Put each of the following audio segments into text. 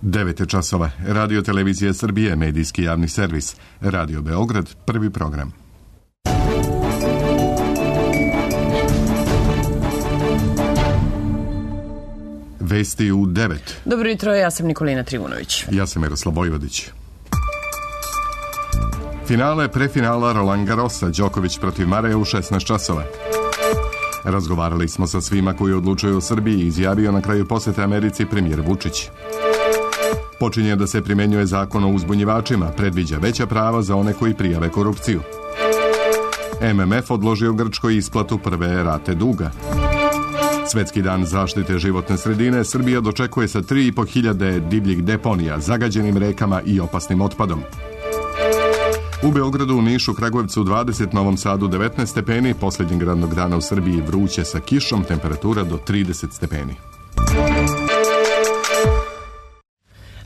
9 časova. Radio Televizija Srbije, medijski javni servis. Radio Beograd, prvi program. Vesti u 9. Dobro jutro, ja sam Nikolina Trivunović. Ja sam Miroslav Vojvodić. Finale prefinala Roland Garrosa, Đoković protiv Mareja u 16 časova. Razgovarali smo sa svima koji odlučuju o Srbiji, izjavio na kraju posete Americi premijer Vučić. Počinje da se primenjuje zakon o uzbunjivačima, predviđa veća prava za one koji prijave korupciju. MMF odložio Grčkoj isplatu prve rate duga. Svetski dan zaštite životne sredine Srbija dočekuje sa 3.500 divljih deponija, zagađenim rekama i opasnim otpadom. U Beogradu, Nišu, Kragujevcu 20, Novom Sadu 19 stepeni, posljednjeg radnog dana u Srbiji vruće sa kišom, temperatura do 30 stepeni.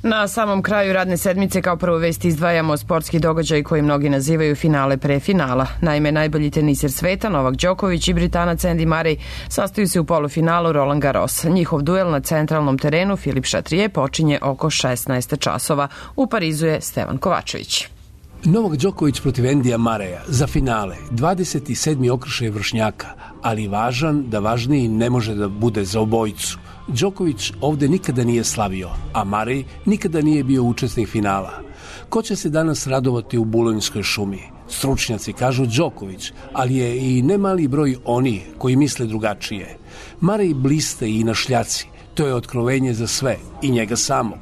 Na samom kraju radne sedmice kao prvu vest izdvajamo sportski događaj koji mnogi nazivaju finale prefinala. Naime, najbolji teniser sveta Novak Đoković i Britanac Andy Murray sastaju se u polufinalu Roland Garros. Njihov duel na centralnom terenu Filip Chatrier počinje oko 16 časova. U Parizu je Stevan Kovačević. Novak Đoković protiv Andyja Murraya za finale, 27. okršaj vršnjaka, ali važan da važniji ne može da bude za obojicu. Đoković ovde nikada nije slavio, a Murray nikada nije bio učesnik finala. Ko će se danas radovati u Bulonjskoj šumi? Stručnjaci kažu Đoković, ali je i nemali broj onih koji misle drugačije. Murray bliste i na šljaci, to je otkrovenje za sve i njega samog.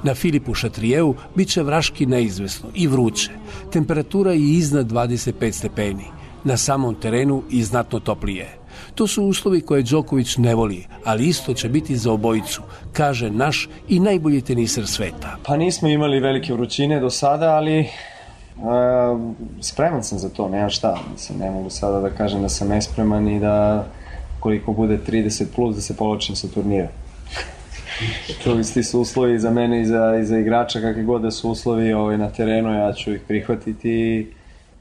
Na Filipu Chatrieru bit će vraški neizvesno i vruće. Temperatura je iznad 25 stepeni. Na samom terenu i znatno toplije. To su uslovi koje Đoković ne voli, ali isto će biti za obojicu, kaže naš i najbolji teniser sveta. Pa nismo imali velike vrućine do sada, ali spreman sam za to, nemam šta. Mislim, ne mogu sada da kažem da sam nespreman i da koliko bude 30 plus da se povlačim sa turnira. To isti su uslovi za mene i za igrača, kakve god da su uslovi na terenu, ja ću ih prihvatiti i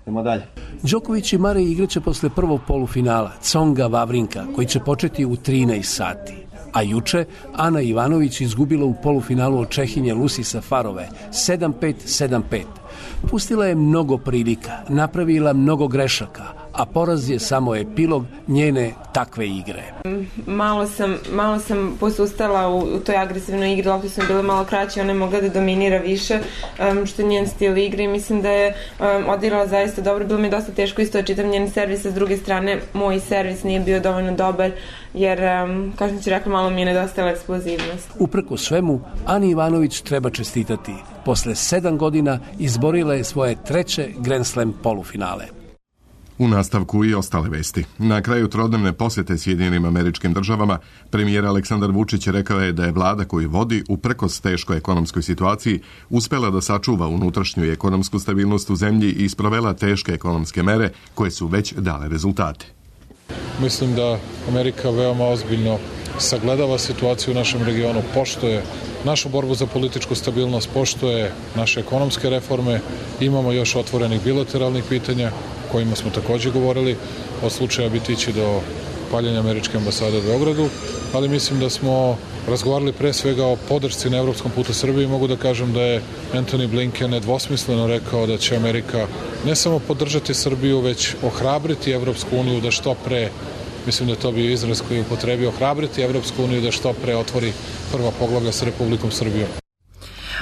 idemo dalje. Đoković i Murray igraće posle prvog polufinala Tsonga Wawrinka, koji će početi u 13 sati. A juče Ana Ivanović izgubila u polufinalu od Čehinje Lucy Safarove 7-5, 7-5. Pustila je mnogo prilika, napravila mnogo grešaka, a poraz je samo epilog njene takve igre. Malo sam posustala u toj agresivnoj igri, lopte su bile malo kraće, ona je mogla da dominira više, što je njen stil igre i mislim da je odigrala zaista dobro. Bilo mi je dosta teško isto da čitam njen servis, a s druge strane moj servis nije bio dovoljno dobar, jer, kao što ću rekla, malo mi je nedostajala eksplozivnost. Uprko svemu, Ani Ivanović treba čestitati. Posle 7 godina izborila je svoje treće Grand Slam polufinale. U nastavku i ostale vesti. Na kraju trodnevne posete Sjedinjenim Američkim Državama, premijer Aleksandar Vučić rekao je da je vlada koju vodi uprkos teškoj ekonomskoj situaciji uspela da sačuva unutrašnju i ekonomsku stabilnost u zemlji i sprovela teške ekonomske mere koje su već dale rezultate. Mislim da Amerika veoma ozbiljno sagledava situaciju u našem regionu, poštuje našu borbu za političku stabilnost, poštuje naše ekonomske reforme, imamo još otvorenih bilateralnih pitanja kojima smo takođe govorili, od slučaja Bitići do paljenja američke ambasade u Beogradu, ali mislim da smo razgovarali pre svega o podršci na evropskom putu Srbiji. Mogu da kažem da je Antony Blinken nedvosmisleno rekao da će Amerika ne samo podržati Srbiju, već ohrabriti Evropsku uniju da što pre, mislim da je to bio izraz koji je upotrebio, ohrabriti Evropsku uniju da što pre otvori prva poglavlja sa Republikom Srbijom.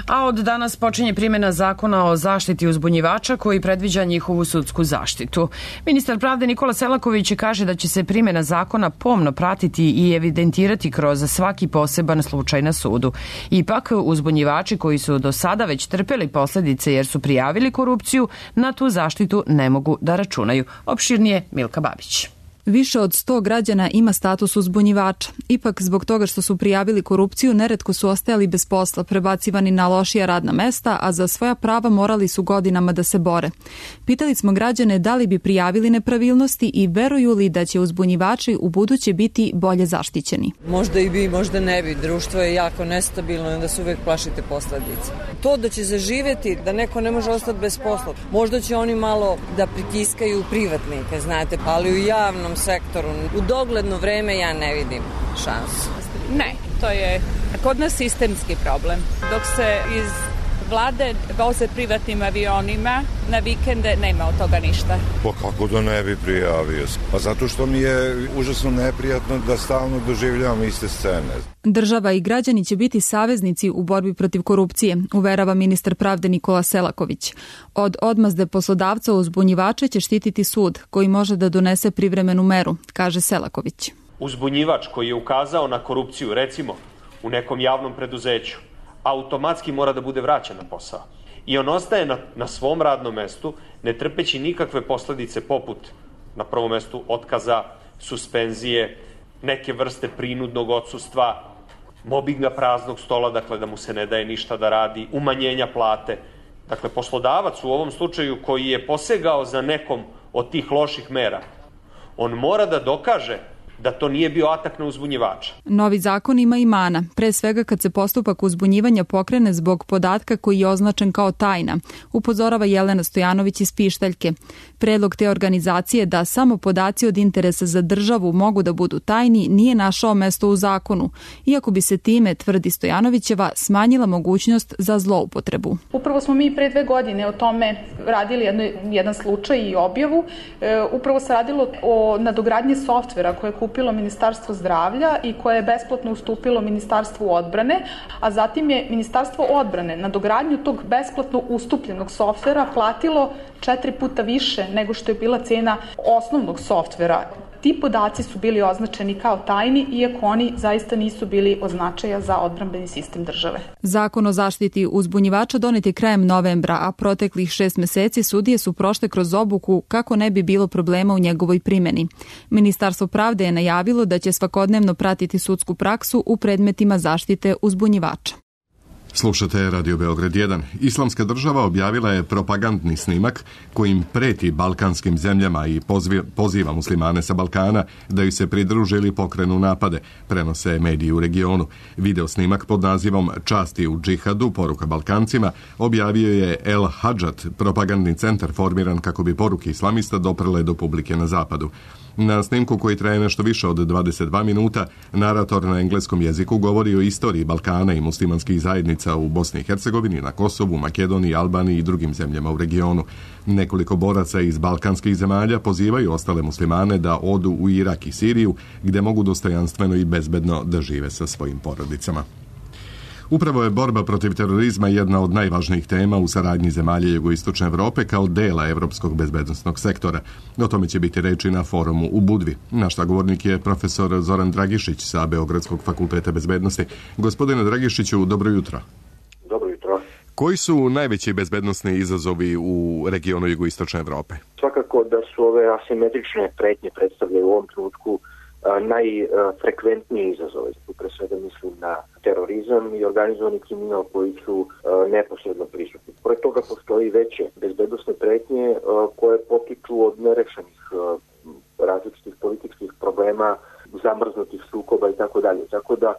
A od danas počinje primjena zakona o zaštiti uzbunjivača koji predviđa njihovu sudsku zaštitu. Ministar pravde Nikola Selaković kaže da će se primjena zakona pomno pratiti i evidentirati kroz svaki poseban slučaj na sudu. Ipak, uzbunjivači koji su do sada već trpeli posledice jer su prijavili korupciju, na tu zaštitu ne mogu da računaju. Opširnije Milka Babić. Više od 100 građana ima status uzbunjivača. Ipak, zbog toga što su prijavili korupciju, neretko su ostajali bez posla, prebacivani na lošija radna mesta, a za svoja prava morali su godinama da se bore. Pitali smo građane da li bi prijavili nepravilnosti i veruju li da će uzbunjivači u buduće biti bolje zaštićeni. Možda i bi, možda ne bi. Društvo je jako nestabilno i onda se uvek plašite posledice. To da će zaživeti, da neko ne može ostati bez posla, možda će oni malo da pritiskaju privatnike, znate, ali u javnom sektoru u dogledno vreme ja ne vidim šansu. Ne, to je kod nas sistemski problem. Dok se iz vlade voze privatnim avionima, na vikende nema od toga ništa. Pa kako da ne bi prijavio? Pa zato što mi je užasno neprijatno da stalno doživljavam iste scene. Država i građani će biti saveznici u borbi protiv korupcije, uverava ministar pravde Nikola Selaković. Od odmazde poslodavca uzbunjivače će štititi sud, koji može da donese privremenu meru, kaže Selaković. Uzbunjivač koji je ukazao na korupciju, recimo, u nekom javnom preduzeću, automatski mora da bude vraćen na posao. I on ostaje na svom radnom mestu, ne trpeći nikakve posledice poput, na prvom mestu, otkaza, suspenzije, neke vrste prinudnog odsustva, mobinga praznog stola, dakle da mu se ne daje ništa da radi, umanjenja plate. Dakle, poslodavac u ovom slučaju koji je posegao za nekom od tih loših mera, on mora da dokaže da to nije bio atak na uzbunjivača. Novi zakon ima i mana, pre svega kad se postupak uzbunjivanja pokrene zbog podatka koji je označen kao tajna, upozorava Jelena Stojanović iz Pištaljke. Predlog te organizacije da samo podaci od interesa za državu mogu da budu tajni nije našao mesto u zakonu, iako bi se time, tvrdi Stojanovićeva, smanjila mogućnost za zloupotrebu. Upravo smo mi pre 2 godine o tome radili jedan slučaj i objavu. Upravo se radilo o nadogradnji softvera koje je kupilo Ministarstvo zdravlja i koje je besplatno ustupilo Ministarstvu odbrane, a zatim je Ministarstvo odbrane na dogradnju tog besplatno ustupljenog softvera platilo 4 puta više nego što je bila cena osnovnog softvera. Ti podaci su bili označeni kao tajni, iako oni zaista nisu bili od značaja za odbrambeni sistem države. Zakon o zaštiti uzbunjivača donet je krajem novembra, a proteklih 6 meseci sudije su prošle kroz obuku kako ne bi bilo problema u njegovoj primjeni. Ministarstvo pravde je najavilo da će svakodnevno pratiti sudsku praksu u predmetima zaštite uzbunjivača. Slušate Radio Beograd 1. Islamska država objavila je propagandni snimak kojim preti balkanskim zemljama i poziva muslimane sa Balkana da ju se pridruže ili pokrenu napade, prenose mediji u regionu. Video snimak pod nazivom Časti u džihadu, poruka Balkancima, objavio je El Hadžat, propagandni centar formiran kako bi poruke islamista doprle do publike na zapadu. Na snimku koji traje nešto više od 22 minuta, narator na engleskom jeziku govori o istoriji Balkana i muslimanskih zajednica u Bosni i Hercegovini, na Kosovu, Makedoniji, Albaniji i drugim zemljama u regionu. Nekoliko boraca iz balkanskih zemalja pozivaju ostale muslimane da odu u Irak i Siriju, gde mogu dostojanstveno i bezbedno da žive sa svojim porodicama. Upravo je borba protiv terorizma jedna od najvažnijih tema u saradnji zemalja jugoistočne Evrope kao dela evropskog bezbednosnog sektora. O tome će biti reči na forumu u Budvi. Naš sagovornik je profesor Zoran Dragišić sa Beogradskog fakulteta bezbednosti. Gospodine Dragišiću, dobro jutro. Dobro jutro. Koji su najveći bezbednosni izazovi u regionu jugoistočne Evrope? Svakako da su ove asimetrične pretnje predstavljaju u ovom trenutku najfrekventniji izazove. Pre svega mislim na terorizam i organizovani kriminal koji su neposredno prisutni. Pored toga postoji veće bezbednosne pretnje koje potiču od nerešenih različitih političkih problema, zamrznutih sukoba i tako dalje. Tako da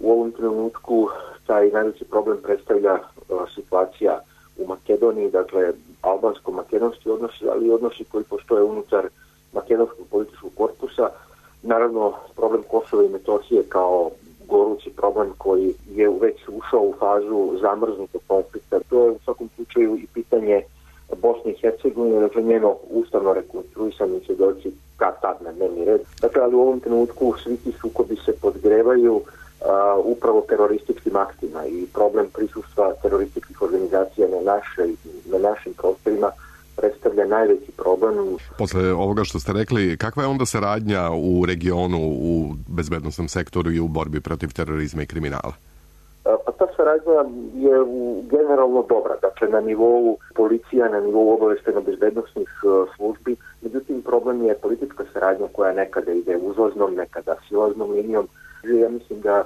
u ovom trenutku taj najveći problem predstavlja situacija u Makedoniji, dakle albansko-makedonski odnosi, ali i odnosi koji postoje unutar makedonskog političkog korpusa. Naravno, problem Kosova i Metohije kao gorući problem koji je već ušao u fazu zamrznutog konflikta. To je u svakom slučaju i pitanje Bosne i Hercegovine, dakle njeno ustavno rekonstruisanje će doći kad tad na dnevni red. Dakle, ali u ovom trenutku svi ti sukobi se podgrevaju upravo terorističkim aktima i problem prisustva terorističkih organizacija na našim prostorima predstavlja najveći problem. Posle ovoga što ste rekli, kakva je onda saradnja u regionu, u bezbednosnom sektoru i u borbi protiv terorizma i kriminala? Pa ta saradnja je generalno dobra, dakle na nivou policija, na nivou obaveštajno-bezbednosnih službi. Međutim, problem je politička saradnja koja nekada ide uzlaznom, nekada silaznom linijom. Ja mislim da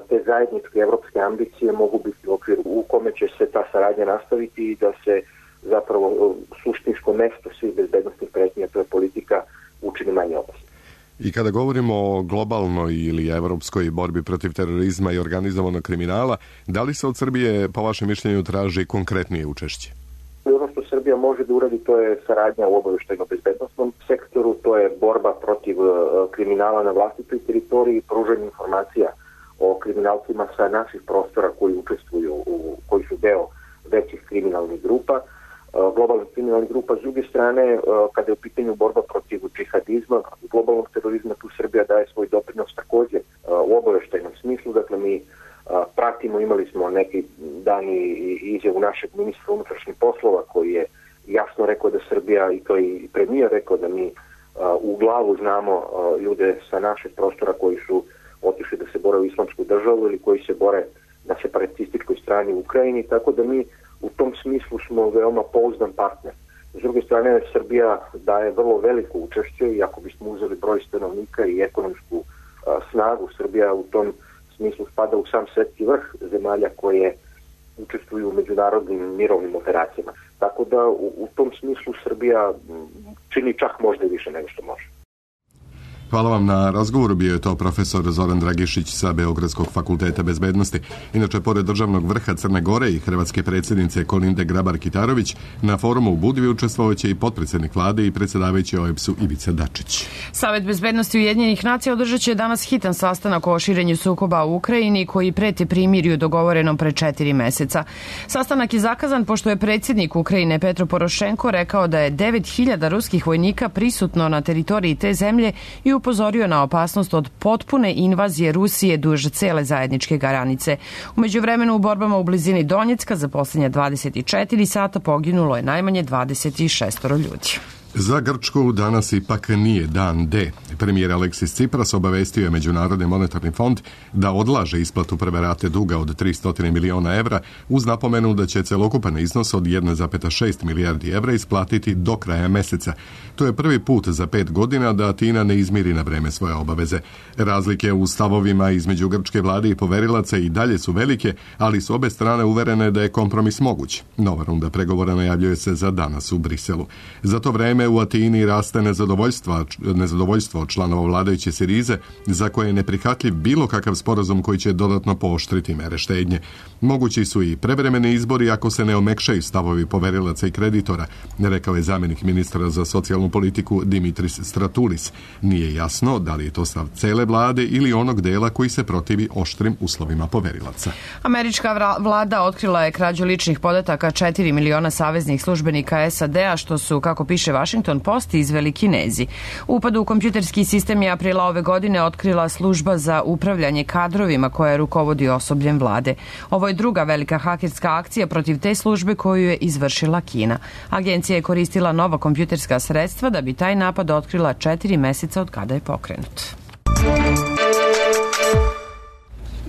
te zajedničke evropske ambicije mogu biti u okviru u kome će se ta saradnja nastaviti i da se zapravo suštinsko mesto svih bezbednostnih pretnji, to je politika, učini manje opasno. I kada govorimo o globalnoj ili evropskoj borbi protiv terorizma i organizovanog kriminala, da li se od Srbije, po vašem mišljenju, traži konkretnije učešće? Ono što Srbija može da uradi, to je saradnja u obaveštajno-bezbednosnom sektoru, to je borba protiv kriminala na vlastitoj teritoriji, pružanje informacija o kriminalcima sa naših prostora koji učestvuju, koji su deo većih kriminalnih grupa, globalnih kriminalnih grupa. S druge strane, kada je u pitanju borba protiv džihadizma, globalnog terorizma, tu Srbija daje svoj doprinos takođe u obaveštajnom smislu. Dakle, mi pratimo, imali smo neki dan i izjavu našeg ministra unutrašnjih poslova koji je jasno rekao da Srbija, i to i premijer rekao, da mi u glavu znamo ljude sa našeg prostora koji su otišli da se bore u islamsku državu ili koji se bore na separatističkoj strani u Ukrajini, tako da mi u tom smislu smo veoma pouzdan partner. S druge strane, Srbija daje vrlo veliko učešće i ako bismo uzeli broj stanovnika i ekonomsku snagu, Srbija u tom smislu spada u sam svetski vrh zemalja koje učestvuju u međunarodnim mirovnim operacijama. Tako da u tom smislu Srbija čini čak možda i više nego što može. Hvala vam na razgovoru. Bio je to profesor Zoran Dragišić sa Beogradskog fakulteta bezbednosti. Inače, pored državnog vrha Crne Gore i hrvatske predsjednice Kolinde Grabar-Kitarović, na forumu u Budvi učestvovaće i potpredsjednik vlade i predsjedavajući OEBS-u Ivica Dačić. Savet bezbednosti Ujedinjenih nacija održat će danas hitan sastanak o širenju sukoba u Ukrajini koji preti primirju dogovorenom pre 4 meseca. Sastanak je zakazan pošto je predsjednik Ukrajine Petro Porošenko rekao da je 9.000 ruskih vojnika prisutno na teritoriji te zemlje i upozorio na opasnost od potpune invazije Rusije duž cele zajedničke granice. U međuvremenu u borbama u blizini Donjecka za posljednje 24 sata poginulo je najmanje 26 ljudi. Za Grčku danas ipak nije dan D. Premijer Aleksis Tsipras obavestio je Međunarodni monetarni fond da odlaže isplatu prve rate duga od 300 miliona evra uz napomenu da će celokupan iznos od 1,6 milijardi evra isplatiti do kraja meseca. To je prvi put za 5 godina da Atina ne izmiri na vreme svoje obaveze. Razlike u stavovima između grčke vlade i poverilaca i dalje su velike, ali su obe strane uverene da je kompromis moguć. Nova runda pregovora najavljuje se za danas u Briselu. Za to vreme u Atini raste nezadovoljstvo od članova vladajuće Sirize, za koje je neprihvatljiv bilo kakav sporazum koji će dodatno pooštriti mere štednje. Mogući su i prevremeni izbori ako se ne omekšaju stavovi poverilaca i kreditora, rekao je zamjenik ministra za socijalnu politiku Dimitris Stratoulis. Nije jasno da li je to stav cele vlade ili onog dela koji se protivi oštrim uslovima poverilaca. Američka vlada otkrila je krađu ličnih podataka 4 miliona saveznih službenika SAD-a, što su, kako piše Washington Post, izveli Kinezi. Upad u kompjuterski sistem je aprila ove godine otkrila služba za upravljanje kadrovima koja rukovodi osobljem vlade. Ovo je druga velika hakerska akcija protiv te službe koju je izvršila Kina. Agencija je koristila nova kompjuterska sredstva da bi taj napad otkrila 4 meseca od kada je pokrenut.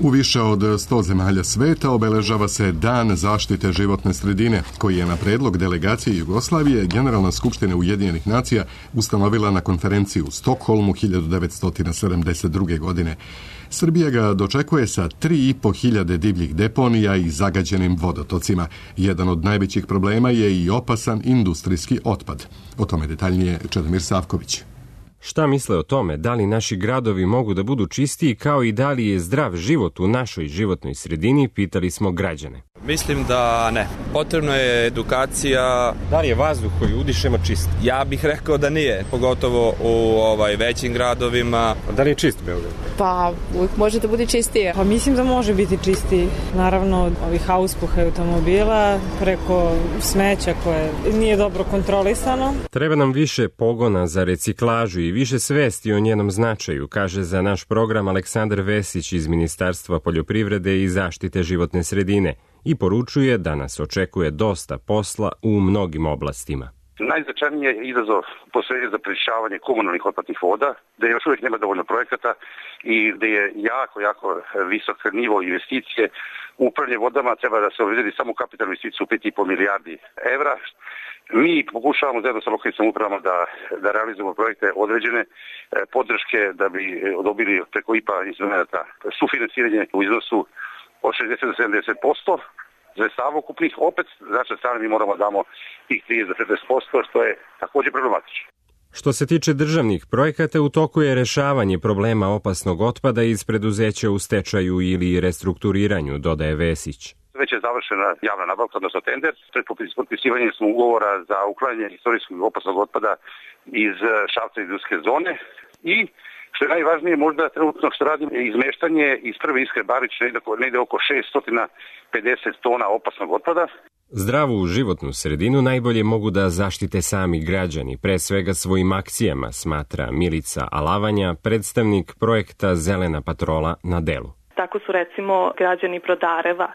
U više od 100 zemalja sveta obeležava se Dan zaštite životne sredine, koji je na predlog delegacije Jugoslavije Generalna skupština Ujedinjenih nacija ustanovila na konferenciji u Stokholmu 1972. godine. Srbija ga dočekuje sa 3.500 divljih deponija i zagađenim vodotocima. Jedan od najvećih problema je i opasan industrijski otpad. O tome detaljnije Čedomir Savković. Šta misle o tome, da li naši gradovi mogu da budu čistiji, kao i da li je zdrav život u našoj životnoj sredini, pitali smo građane. Mislim da ne. Potrebna je edukacija. Da li je vazduh koji udišemo čist? Ja bih rekao da nije, pogotovo u većim gradovima. Da li je čist Beograd? Pa uvijek može da bude čistije. Pa mislim da može biti čistiji. Naravno, ovih auspuha automobila preko smeća koje nije dobro kontrolisano. Treba nam više pogona za reciklažu i više svesti o njenom značaju, kaže za naš program Aleksandar Vesić iz Ministarstva poljoprivrede i zaštite životne sredine i poručuje da nas očekuje dosta posla u mnogim oblastima. Najznačajniji je izazov posebno za prečišćavanje komunalnih otpadnih voda, da još uvijek nema dovoljno projekata i da je jako visok nivo investicije. U upravljanje vodama treba da se obezbedi samo kapitalnu investiciju u 5,5 milijardi evra. Mi pokušavamo zajedno sa lokalnim samoupravama da realizujemo projekte određene podrške da bi dobili preko IPA instrumenta sufinansiranje u iznosu od 60 do 70%. Sredstava ukupnih, opet s naše strane mi moramo damo tih 30 do 40%, što je također problematično. Što se tiče državnih projekata, u toku je rešavanje problema opasnog otpada iz preduzeća u stečaju ili restrukturiranju, dodaje Vesić. Već je završena javna nabavka, odnosno tender. Pred potpisivanjem smo ugovora za uklanjanje istorijskog opasnog otpada iz Šapca industrijske zone i Što je najvažnije, možda trenutno što radim je izmeštanje iz Prve Iskre Barić negde oko 650 tona opasnog otpada. Zdravu životnu sredinu najbolje mogu da zaštite sami građani, pre svega svojim akcijama, smatra Milica Alavanja, predstavnik projekta Zelena patrola na delu. Tako su recimo građani Brodareva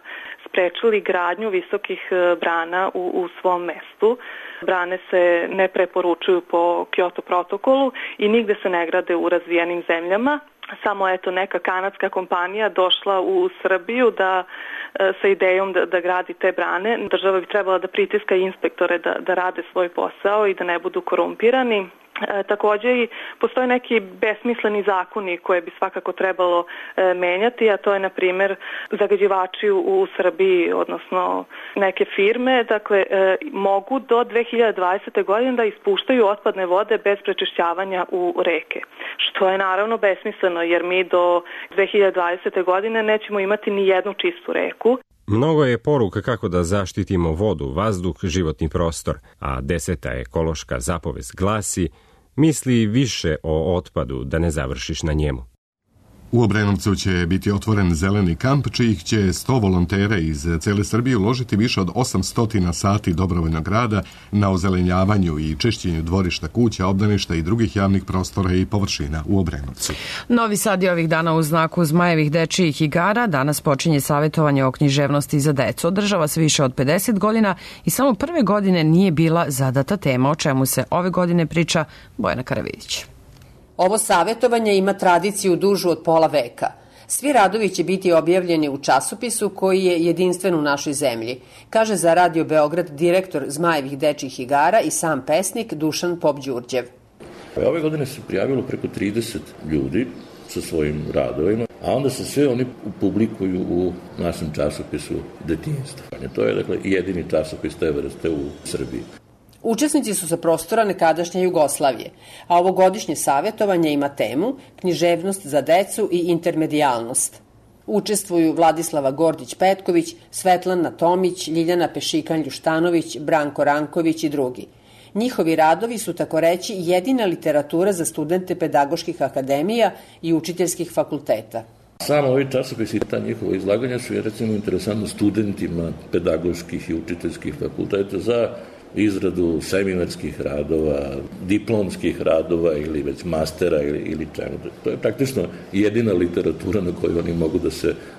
sprečili gradnju visokih brana u svom mestu. Brane se ne preporučuju po Kyoto protokolu i nigde se ne grade u razvijenim zemljama. Samo neka kanadska kompanija došla u Srbiju sa idejom da gradi te brane. Država bi trebala da pritiska inspektore da rade svoj posao i da ne budu korumpirani. Takođe i postoje neki besmisleni zakoni koje bi svakako trebalo menjati, a to je na primer zagađivači u Srbiji, odnosno neke firme, mogu do 2020. godine da ispuštaju otpadne vode bez prečišćavanja u reke, što je naravno besmisleno jer mi do 2020. godine nećemo imati ni jednu čistu reku. Mnogo je poruka kako da zaštitimo vodu, vazduh, životni prostor, a 10. ekološka zapovest glasi: misli više o otpadu da ne završiš na njemu. U Obrenovcu će biti otvoren zeleni kamp, čijih će 100 volontera iz cele Srbije uložiti više od 800 sati dobrovoljnog rada na ozelenjavanju i čišćenju dvorišta, kuća, obdaništa i drugih javnih prostora i površina u Obrenovcu. Novi Sad je ovih dana u znaku Zmajevih dečijih igara. Danas počinje savjetovanje o književnosti za decu. Održava se više od 50 godina i samo prve godine nije bila zadata tema, o čemu se ove godine priča Bojana Karavidić. Ovo savjetovanje ima tradiciju dužu od pola veka. Svi radovi će biti objavljeni u časopisu koji je jedinstven u našoj zemlji, kaže za Radio Beograd direktor Zmajevih dečjih igara i sam pesnik Dušan Popđurđev. Ove godine se prijavilo preko 30 ljudi sa svojim radovima, a onda se sve oni publikuju u našem časopisu Detinjstvo. To je jedini časopis te vrste u Srbiji. Učesnici su sa prostora nekadašnje Jugoslavije, a ovogodišnje savjetovanje ima temu književnost za decu i intermedijalnost. Učestvuju Vladislava Gordić-Petković, Svetlana Tomić, Ljiljana Pešikan-Ljuštanović, Branko Ranković i drugi. Njihovi radovi su, tako reći, jedina literatura za studente pedagoških akademija i učiteljskih fakulteta. Samo ovi časopisi i ta njihova izlaganja su recimo interesantno studentima pedagoških i učiteljskih fakulteta za izradu seminarskih radova, diplomskih radova ili već mastera ili čemu. To je praktično jedina literatura na koju oni mogu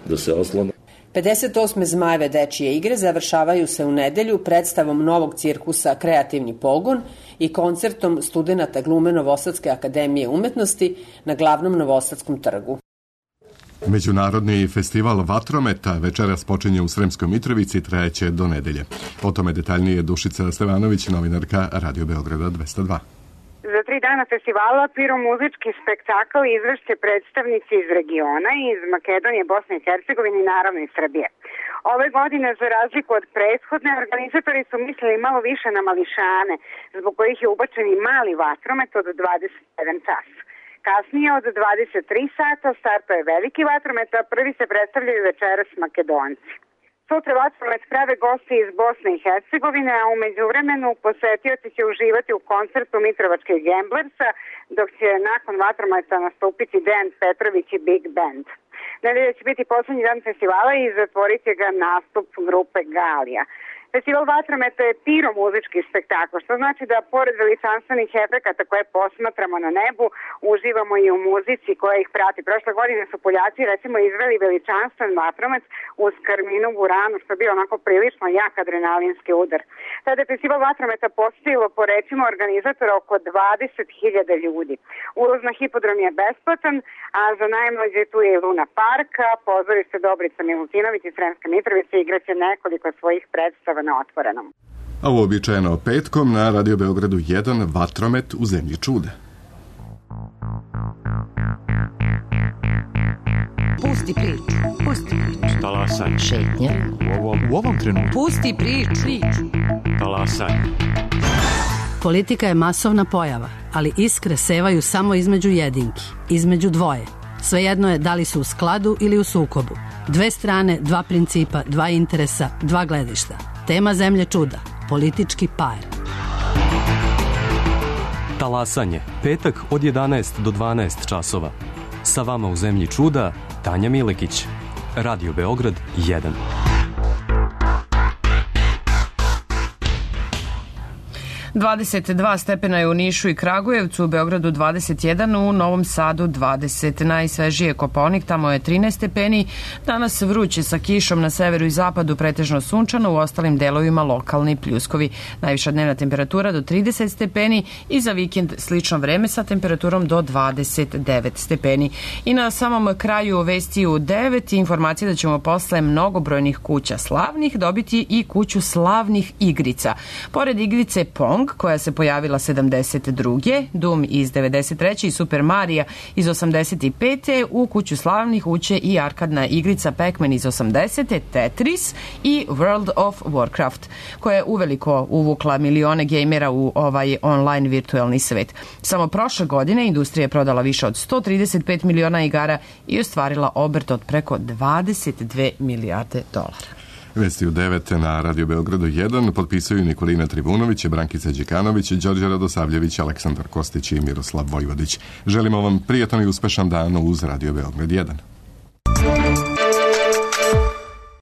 da se oslone. 58. Zmajeve dečije igre završavaju se u nedelju predstavom novog cirkusa Kreativni pogon i koncertom studenata glume Novosadske akademije umetnosti na glavnom Novosadskom trgu. Međunarodni festival vatrometa večeras počinje u Sremskoj Mitrovici, trajeće do nedelje. O tome detaljnije Dušica Stevanović, novinarka Radio Beograda 202. Za 3 dana festivala piromuzički spektakl izvešće predstavnici iz regiona, iz Makedonije, Bosne i Hercegovine i naravno iz Srbije. Ove godine, za razliku od prethodne, organizatori su mislili malo više na mališane, zbog kojih je ubačen i mali vatromet od 21 čas. Kasnije od 23 sata startuje veliki vatromet, a prvi se predstavljaju večeras Makedonci. Sutra vatromet prave gosti iz Bosne i Hercegovine, a u međuvremenu posetioci će uživati u koncertu Mitrovačkih Gamblersa, dok će nakon vatrometa nastupiti Dejan Petrović i Big Band. Nedelje će biti poslednji dan festivala i zatvorit će ga nastup grupe Galija. Festival vatrometa je piromuzički spektakl, što znači da pored veličanstvenih efekata koje posmatramo na nebu, uživamo i u muzici koja ih prati. Prošle godine su Poljaci recimo izveli veličanstven vatromet uz Karminu Buranu, što je bio onako prilično jak adrenalinski udar. Tada je festival vatrometa posjetilo po rečima organizatora oko 20.000 ljudi. Ulaz na hipodrom je besplatan, a za najmlađe tu je i Luna Park, pozorište Dobrica Milutinović i Sremska Mitrovica igraće nekoliko svojih predstava na otvorenom. A uobičajeno petkom na Radio Beogradu 1 vatromet u zemlji čuda. Pusti priču. Talasaj. Šetnja. U ovom trenutku. Pusti priču. Talasaj. Politika je masovna pojava, ali iskre sevaju samo između jedinki, između dvoje. Svejedno je da li su u skladu ili u sukobu. Dve strane, dva principa, dva interesa, dva gledišta. Tema zemlje čuda. Politički par. Talasanje, petak od 11 do 12 časova. Sa vama u zemlji čuda, Tanja Milekić. Radio Beograd 1. Dvadeset 22 stepena je u Nišu i Kragujevcu, u Beogradu 21, u Novom Sadu 20. Najsvežije Kopaonik, tamo je 13 stepeni. Danas vruće sa kišom na severu i zapadu, pretežno sunčano, u ostalim delovima lokalni pljuskovi. Najviša dnevna temperatura do 30 stepeni i za vikend slično vreme sa temperaturom do 29 stepeni. I na samom kraju vesti u 9 informacije da ćemo posle mnogobrojnih kuća slavnih dobiti i kuću slavnih igrica. Pored igrice Pong, koja se pojavila 72. Doom iz 93. i Super Mario iz 85. U kuću slavnih uće i arkadna igrica Pac-Man iz 80. Tetris i World of Warcraft, koja je uveliko uvukla milione gejmera u ovaj online virtualni svet. Samo prošle godine industrija je prodala više od 135 miliona igara i ostvarila obrt od preko 22 milijarde dolara. Vesti u 9 na Radio Beogradu 1 potpisuju Nikolina Trivunović, Brankica Đikanović, Đorđe Radosavljević, Aleksandar Kostić i Miroslav Vojvodić. Želimo vam prijatan i uspešan dan uz Radio Beograd 1.